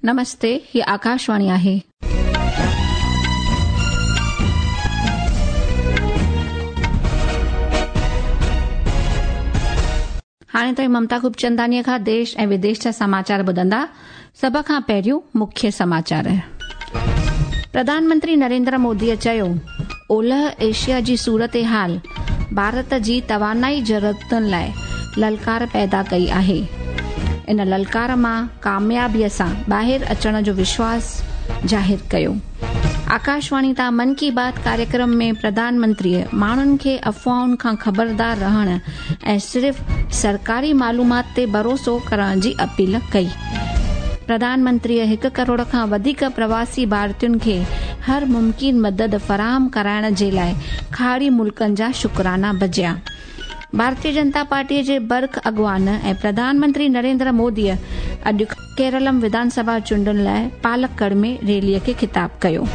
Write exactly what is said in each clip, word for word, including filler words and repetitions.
नमस्ते, ही आकाशवाणी आहे. हाणे ताईं ममता खूबचंदानीअ खां देश ऐं विदेश जा समाचार ॿुधंदा. सभ खां पहिरियों मुख्य समाचार. प्रधानमंत्री नरेंद्र मोदीअ चयो, ओलह एशिया जी सूरत हाल भारत जी तवानाई ज़रूरतुनि लाइ ललकार पैदा कई आहे. इन ललकार मां कामयाबीअ सां ॿाहिरि अचण जो विश्वास ज़ाहिर कयो. आकाशवाणी तां मन की बात कार्यक्रम में प्रधानमंत्रीअ माण्हुनि खे अफ़वाहुनि खां ख़बरदार रहण ऐं सिर्फ़ सरकारी मालूमात ते भरोसो करण जी अपील कई. प्रधानमंत्रीअ हिकु करोड़ खां वधीक प्रवासी भारतीयुनि खे हर मुमकिन मदद फराहम कराइण जे लाइ खाड़ी मुल्कनि जा शुक्राना बजिया. भारतीय जनता पार्टीअ जे बर्ख अॻवान ऐं प्रधानमंत्री नरेंद्र मोदीअ अॼु केरलम विधानसभा चूंडुनि लाइ पालक्कड़ में रैलीअ खे ख़िताब कयो.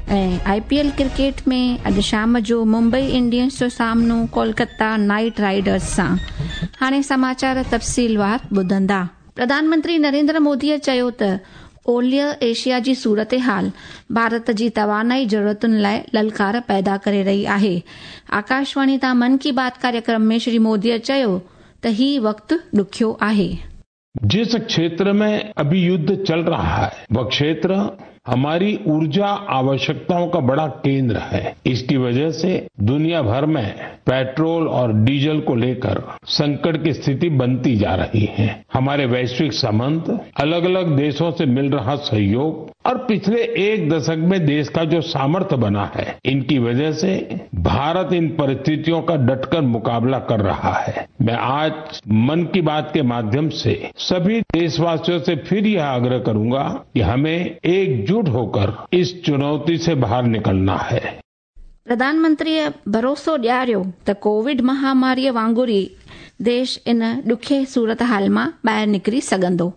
ऐं I P L cricket में अॼु शाम जो मुंबई इंडियंस जो सामनो कोलकाता नाइट राइडर्स सां. हाणे समाचार तफ़सीलवार ॿुधंदा. प्रधानमंत्री नरेंद्र मोदीअ चयो त ओलिह एशिया जी सूरत हाल भारत जी तवानाई ज़रूरतुनि लाइ ललकार पैदा करे रही आहे. आकाशवाणी तां मन की बात कार्यक्रम में श्री मोदीअ चयो त ही वक़्तु ॾुखियो आहे. जिस क्षेत्र में अभी युद्ध चल रहा है वह क्षेत्र हमारी ऊर्जा आवश्यकताओं का बड़ा केंद्र है. इसकी वजह से दुनिया भर में पेट्रोल और डीजल को लेकर संकट की स्थिति बनती जा रही है. हमारे वैश्विक संबंध, अलग अलग देशों से मिल रहा सहयोग और पिछले एक दशक में देश का जो सामर्थ्य बना है, इनकी वजह से भारत इन परिस्थितियों का डटकर मुकाबला कर रहा है. मैं आज मन की बात के माध्यम से सभी देशवासियों से फिर यह आग्रह करूंगा कि हमें एकजुट होकर इस चुनौती से बाहर निकलना है. प्रधानमंत्रीअ भरोसो ॾियारियो त कोविड महामारीअ वांगुरु ई देश इन ॾुखे सूरत हाल मां ॿाहिरि निकिरी सघंदो.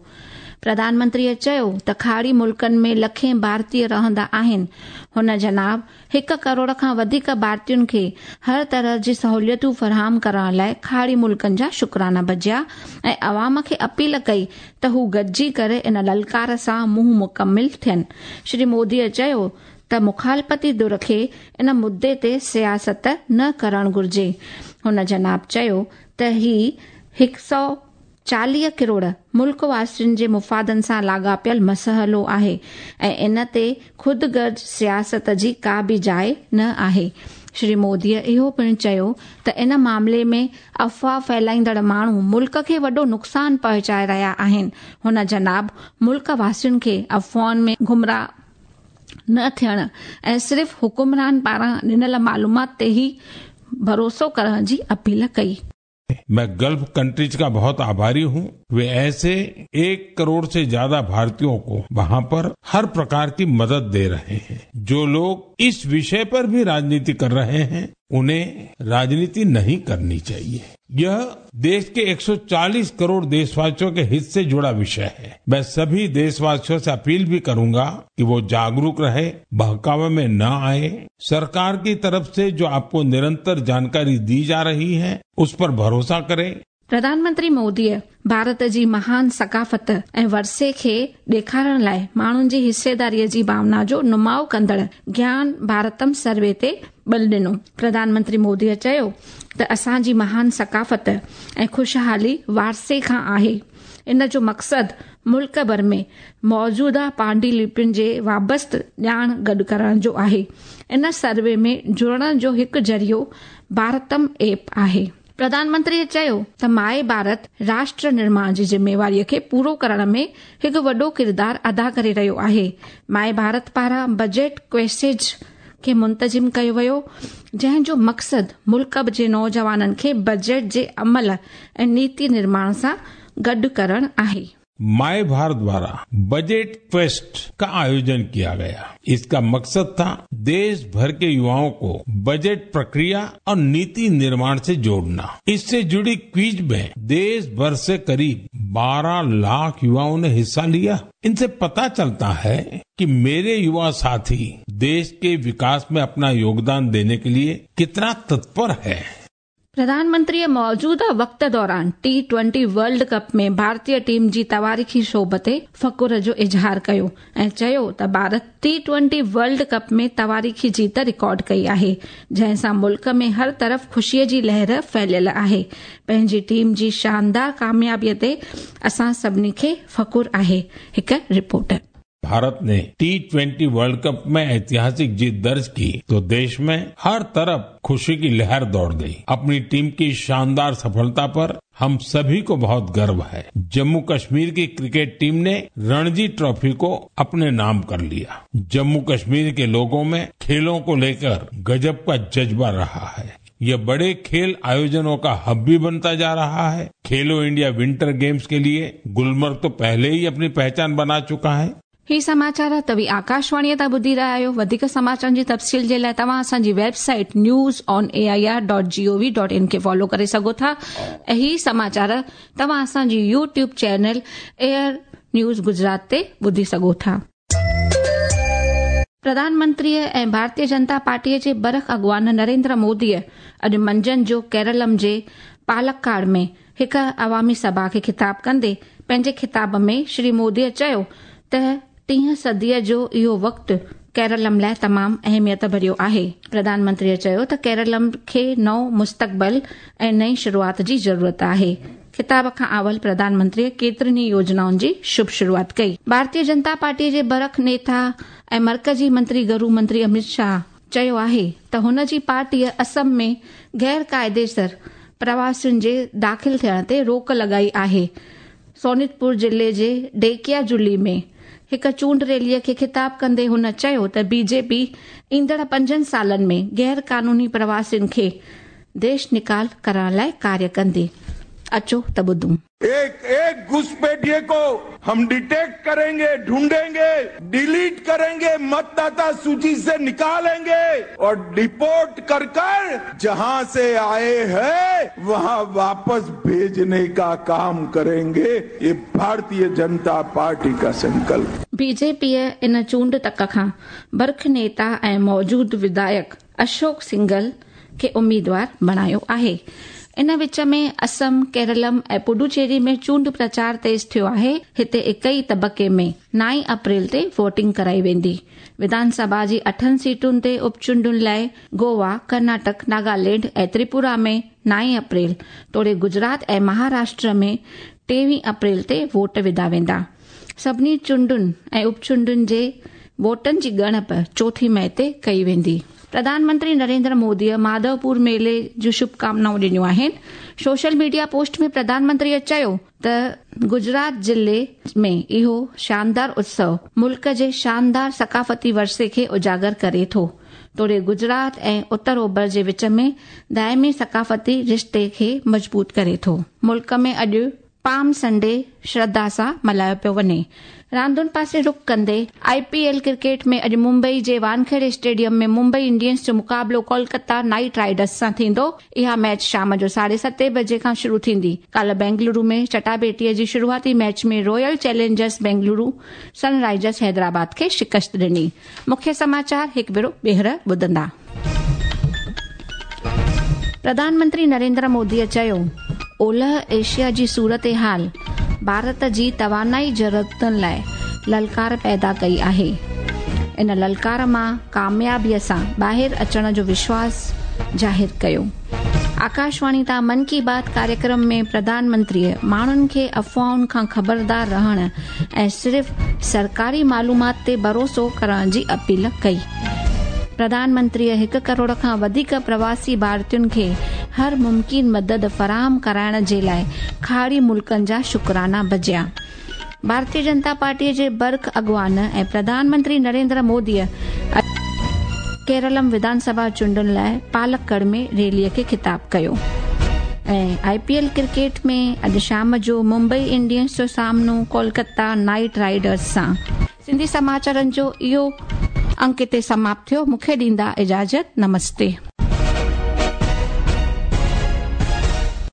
प्रधानमंत्रीअ चयो त खाड़ी मुल्कनि में लखें भारतीय रहंदा आहिनि. हुन जनाब हिकु करोड़ खां वधीक भारतीयुनि खे हर तरह जी सहूलियतूं फराहम करण लाइ खाड़ी मुल्कनि जा शुक्राना बजिया ऐं अवाम खे अपील कई त हू गॾिजी करे इन ललकार सां मुंहुं मुकमिल थियनि. श्री मोदीअ चयो त मुखालफ़ती धुर खे इन मुद्दे ते सियासत न करणु घुर्जे. हुन जनाब चयो त ही हिकु सौ चालीह करोड़ मुल्क वासियुनि जे मुफ़ादनि सां लाॻापियल मसइलो आहे ऐं इन ते ख़ुदगर्ज़ सियासत जी का बि जाइ न आहे. श्री मोदीअ इहो पिणु चयो त इन मामले में अफ़वाह फैलाईंदड़ माण्हू मुल्क खे वॾो नुक़सानु पहुचाए रहिया आहिनि. हुन जनाब मुल्क वासियुनि खे अफ़वाहुनि में गुमराह न थियण ऐं सिर्फ़ हुकुमरान पारां ॾिनल मालूमात ते ई भरोसो करण जी अपील कई. मैं गल्फ कंट्रीज का बहुत आभारी हूँ. वे ऐसे एक करोड़ से ज्यादा भारतीयों को वहाँ पर हर प्रकार की मदद दे रहे हैं. जो लोग इस विषय पर भी राजनीति कर रहे हैं उन्हें राजनीति नहीं करनी चाहिए. यह देश के एक सौ चालीस करोड़ देशवासियों के हित से जुड़ा विषय है. मैं सभी देशवासियों से अपील भी करूंगा कि वो जागरूक रहे, बहकावे में न आए. सरकार की तरफ से जो आपको निरंतर जानकारी दी जा रही है उस पर भरोसा करें. प्रधानमंत्री मोदीअ भारत जी महान सकाफ़त ऐं वरसे खे ॾेखारण लाइ माण्हुनि जी हिस्सेदारीअ जी भावना जो नुमाउ कंदड़ ज्ञान भारतम सर्वे ते बल ॾिनो. प्रधानमंत्री मोदीअ चयो त असांजी महान सकाफ़त ऐं ख़ुशहाली वारसे खां आहे. इन जो मक़सदु मुल्क भर में मौजूदा पांडुलिपियुनि जे वाबस्त ॼाण गॾु करण जो आहे. इन सर्वे में जुड़ण जो हिकु ज़रियो भारतम ऐप आहे. प्रधानमंत्रीअ चयो त my Bharat राष्ट्र निर्माण जी ज़िम्मेवारीअ खे पूरो करण में हिकु वॾो किरदारु अदा करे रहियो आहे. My Bharat पारां बजट क्वेसेज खे मुंतज़िम कयो वियो, जंहिं जो मक़सदु मुल्क जे नौजवाननि खे बजट जे अमल ऐं नीति निर्माण सां गॾु करणु आहे. My Bharat द्वारा बजट क्वेस्ट का आयोजन किया गया. इसका मकसद था देश भर के युवाओं को बजट प्रक्रिया और नीति निर्माण से जोड़ना. इससे जुड़ी क्विज में देश भर से करीब बारह लाख युवाओं ने हिस्सा लिया. इनसे पता चलता है कि मेरे युवा साथी देश के विकास में अपना योगदान देने के लिए कितना तत्पर है. प्रधानमंत्रीअ मौजूदा वक़्त दौरान टी ट्वेंटी वर्ल्ड कप में भारतीय टीम जी तवारीख़ी शोभ ते फ़ख़ुर जो इज़हार कयो ऐं चयो त Bharat T twenty world cup में तवारीख़ी जीत रिकॉर्ड कई आहे, जंहिं सां मुल्क में हर तरफ़ ख़ुशीअ जी लहर फैलियल आहे। पंहिंजी टीम जी शानदार कामयाबीअ ते असां सभिनी खे फ़ख़ुर आहे। हिकु रिपोर्ट। भारत ने टी ट्वेंटी वर्ल्ड कप में ऐतिहासिक जीत दर्ज की तो देश में हर तरफ खुशी की लहर दौड़ गई। अपनी टीम की शानदार सफलता पर हम सभी को बहुत गर्व है। जम्मू कश्मीर की क्रिकेट टीम ने रणजी ट्रॉफी को अपने नाम कर लिया। जम्मू कश्मीर के लोगों में खेलों को लेकर गजब का जज्बा रहा है। यह बड़े खेल आयोजनों का हब भी बनता जा रहा है। खेलो इंडिया विंटर गेम्स के लिए गुलमर्ग तो पहले ही अपनी पहचान बना चुका है। ही समाचार तव्हीं आकाशवाणीअ तां ॿुधी रहिया आहियो। वधीक समाचारनि जी तफ़सील जे लाइ तव्हां असांजी website news on A I R dot G O V dot in खे फॉलो करे सघो था। ऐं ही समाचार तव्हां असांजी YouTube channel air news Gujarat ते ॿुधी सघो था। प्रधानमंत्रीअ ऐं भारतीय जनता पार्टीअ जे बरख अॻवान नरेंद्र मोदीअ अॼु मंझंदि जो केरलम जे पालक्काड में हिकु अवामी सभा खे ख़िताब कंदे पंहिंजे ख़िताब में श्री मोदीअ चयो त टीह सदीअ जो इहो वक़्तु केरलम लाइ तमामु अहमियत भरियो आहे। प्रधानमंत्रीअ चयो त केरलम खे नओं मुस्तक़बिल ऐं नई शुरूआत जी ज़रूरत आहे। ख़िताब खां अवल प्रधानमंत्रीअ केतिरनि ई योजनाउनि जी शुभ शुरूआत कई। भारतीय जनता पार्टीअ जे बरख नेता ऐं मर्कज़ी मंत्री गृह मंत्री अमित शाह चयो आहे त हुन जी पार्टीअ असम में गैर काइदेसर प्रवासियुनि जे दाख़िल थियण ते रोक लॻाई आहे। सोनितपुर ज़िले जे डेकिया जुली में हिकु चूंड रैलीअ खे ख़िताब कंदे हुन चयो त बीजेपी ईंदड़ पंजनि सालनि में गैर कानूनी प्रवासियुनि खे देश निकाल करण लाइ कार्य कंदी। अचो त ॿुधूं। एक एक घुसपैठिए को हम डिटेक्ट करेंगे, ढूंढेंगे, डिलीट करेंगे, मतदाता सूची से निकालेंगे और डिपोर्ट कर कर जहां से आए हैं वहां वापस भेजने का काम करेंगे। ये भारतीय जनता पार्टी का संकल्प। बीजेपीअ इन चूंड तक खां बरख नेता ऐं मौजूद विधायक अशोक सिंघल खे उम्मीदवार बणायो आहे। इन विच में असम, केरलम ऐं पुडुचेरी में चूंड प्रचार तेज़ थियो आहे। हिते हिक ई तबक़े में नाई अप्रैल ते वोटिंग कराई वेंदी। विधानसभा जी अठनि सीटुनि ते उपचूंडुनि लाइ गोवा, कर्नाटक, नागालैंड ऐं त्रिपुरा में नाई अप्रैल तोड़े गुजरात ऐं महाराष्ट्र में टेवीह अप्रैल ते वोट विधा वेंदा। सभिनी चूंडुनि ऐं उपचूंडुनि जे वोटनि जी ॻणप चोथीं मई ते कई वेंदी। प्रधानमंत्री नरेंद्र मोदीअ माधवपुर मेले जूं शुभकामनाऊं ॾिनियूं आहिनि। सोशल मीडिया पोस्ट में प्रधानमंत्रीअ चयो त गुजरात ज़िले में इहो शानदार उत्सव मुल्क जे शानदार सकाफ़ती वर्से खे उजागर करे थो, तोड़े गुजरात ऐं उत्तर ओभर जे विच में दायमी सकाफ़ती रिश्ते खे मज़बूत करे थो। मुल्क में अॼु पाम संडे श्रद्धा सां मल्हायो पियो वञे। रांदुनि पासे रुख कंदे I P L cricket में अॼु मुंबई जे वानखेड़े स्टेडियम में मुंबई इंडियंस जो मुक़ाबिलो कोलकाता नाइट राइडर्स सां थींदो। इहा मैच शाम जो साढे सते बजे खां शुरू थींदी। काल्ह बेंगलुरु में चटाबेटीअ जी शुरूआती match में Royal Challengers Bengaluru Sunrisers Hyderabad खे शिकस्त ॾिनी। मुख्य समाचार हिकु भेरो ॿीहर ॿुधंदा। प्रधानमंत्री नरेंद्र मोदीअ चयो, ओलह एशिया जी सूरत हाल भारत जी तवानाई ज़रूरतुनि लाइ ललकार पैदा कई आहे। इन ललकार मां कामयाबीअ सां ॿाहिरि अचण जो विश्वास ज़ाहिर कयो। आकाशवाणी तां मन की बात कार्यक्रम में प्रधानमंत्रीअ माण्हुनि खे अफ़वाहुनि खां ख़बरदार रहण ऐं सिर्फ़ सरकारी मालूमात ते भरोसो करण जी अपील कई। प्रधानमंत्रीअ हिकु करोड़ खां वधीक प्रवासी भारतीयुनि खे हर मुमकिन मदद फराहम कराइण जे लाइ खाड़ी मुल्कनि जा शुक्राना बजिया। भारतीय जनता पार्टीअ जे बर्ख अॻवान ऐं प्रधानमंत्री नरेंद्र मोदीअ केरलम विधानसभा चूंडुनि लाइ पालक्कड़ में रैलीअ खे ख़िताब कयो। ऐं I P L cricket में अॼु शाम जो मुंबई इंडियंस जो सामनो कोलकाता नाइट राइडर्स सां। सिंधी समाचारनि जो इहो अंक हिते समाप्त थियो। मूंखे ॾींदा इजाज़त। नमस्ते।